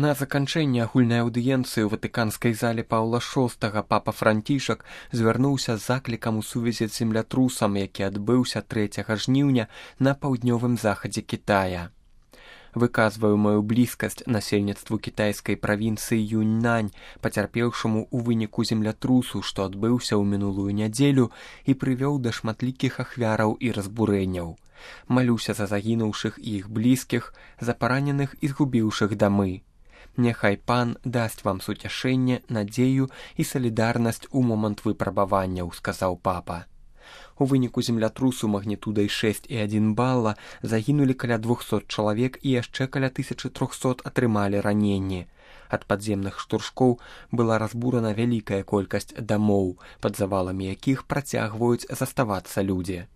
На заканчэнне агульнай аўдыенцыі ў ватыканскай зале Паўла VI папа Францішак звярнуўся з заклікам у сувязі з землятрусам, які адбыўся 3 жніўня на паўднёвым захадзе Кітая. Выказваю маю блізкасць насельніцтву кітайскай правінцыі Юньнань, пацярпеўшаму ў выніку землятрусу, што адбыўся ў мінулую нядзелю і прывёў да шматлікіх ахвяраў і разбурэнняў. Малюся за загінуўшых і іх блізкіх, за параненых і згубіўшых дамы. Няхай пан дасць вам суцяшэнне, надзею і салідарнасць у момант выпрабаванняў, сказаў папа. У выніку землятрусу магнітудай 6,1 балла загінулі каля 200 чалавек і яшчэ каля 1300 атрымалі раненні. Ад падземных штуршкоў была разбурана вялікая колькасць дамоў, пад заваламі якіх працягваюць заставацца людзі.